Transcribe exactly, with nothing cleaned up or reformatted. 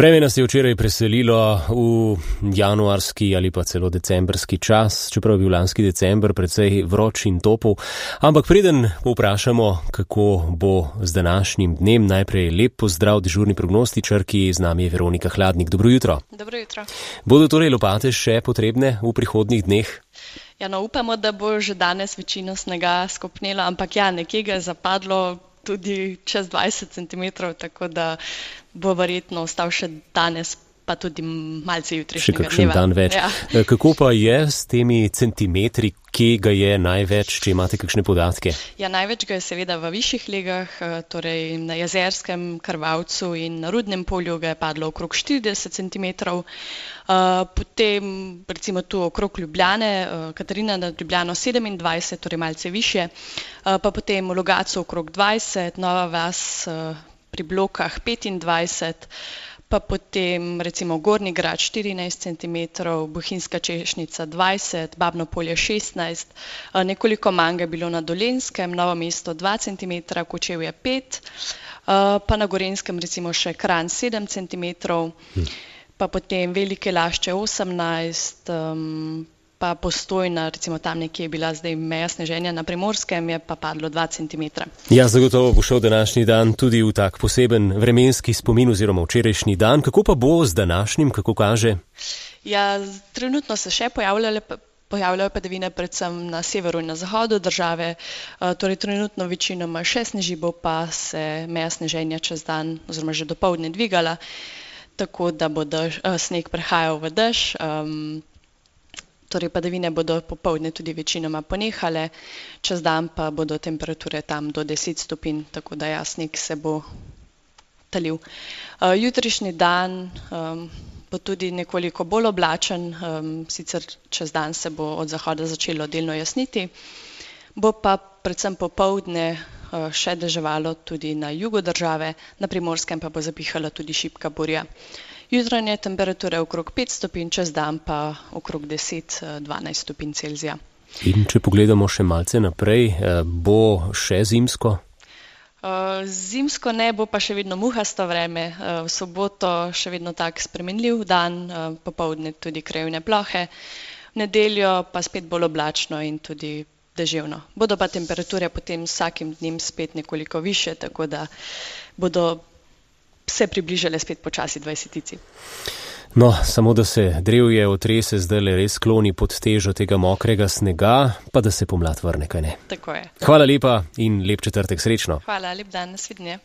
Vreme nas je včeraj preselilo v januarski ali pa celo decembrski čas, čeprav je bil lanski december precej vroč in topel. Ampak preden povprašamo, kako bo z današnjim dnem, najprej lep pozdrav dežurni prognostičarki, z nami je Veronika Hladnik. Dobro jutro. Dobro jutro. Bodo torej lopate še potrebne v prihodnjih dneh? Ja, no, upamo, da bo že danes večino snega skopnelo, ampak ja, nekje ga je zapadlo tudi čez dvajset centimetrov, tako da bo verjetno ostal še danes, pa tudi malce jutrišnjega dneva. Še kakšen dan več. Ja. Kako pa je s temi centimetri, kje ga je največ, če imate kakšne podatke? Ja, največ ga je seveda v višjih legah, torej na Jezerskem, Krvavcu in na Rudnem polju ga je padlo okrog štirideset centimetrov. Potem recimo tu okrog Ljubljane, Katarina nad Ljubljano sedemindvajset, torej malce više, pa potem v Logatcu okrog dvajset, Nova vas pri Blokah petindvajset, pa potem recimo Gornji Grad štirinajst centimetrov, Bohinjska Češnica dvajset, Babno Polje šestnajst, nekoliko manj je bilo na Dolenjskem, Novo mesto dva centimetra, Kočevje pet, pa na Gorenjskem recimo še Kranj sedem centimetrov, pa potem Velike Lašče osemnajst, um, pa Postojna, recimo tam nekje je bila zdaj meja sneženja, na Primorskem je pa padlo dva centimetra. Ja, zagotovo bo šel današnji dan tudi v tak poseben vremenski spomin oziroma včerajšnji dan. Kako pa bo z današnjim, kako kaže? Ja, trenutno se še pojavljale pojavljajo padavine predvsem na severu in na zahodu države, torej trenutno večinoma še sneži, bo pa se meja sneženja čez dan oziroma že dopoldne dvigala, tako da bo dež, sneg prehajal v dež, um, torej padavine bodo popoldne tudi večinoma ponehale, čez dan pa bodo temperature tam do deset stopinj, tako da ja, sneg se bo talil. Uh, jutrišnji dan um, bo tudi nekoliko bolj oblačen, um, sicer čez dan se bo od zahoda začelo delno jasniti, bo pa predvsem popoldne uh, še deževalo tudi na jugu države, na Primorskem pa bo zapihala tudi šibka burja. Jutranje temperature okrog pet stopinj, čez dan pa okrog deset do dvanajst stopinj Celzija. In če pogledamo še malce naprej, bo še zimsko? Uh, zimsko ne, bo pa še vedno muhasto vreme, uh, v soboto še vedno tak spremenljiv dan, uh, popoldne tudi krajevne plohe, v nedeljo pa spet bolj oblačno in tudi deževno. Bodo pa temperature potem vsakim dnem spet nekoliko više, tako da bodo se približale spet počasi dvajsetici. No, samo da se drevje otrese zdaj le res skloni pod težo tega mokrega snega, pa da se pomlad vrne, kaj ne? Tako je. Hvala lepa in lep četrtek, srečno. Hvala, lep dan, nasvidenje.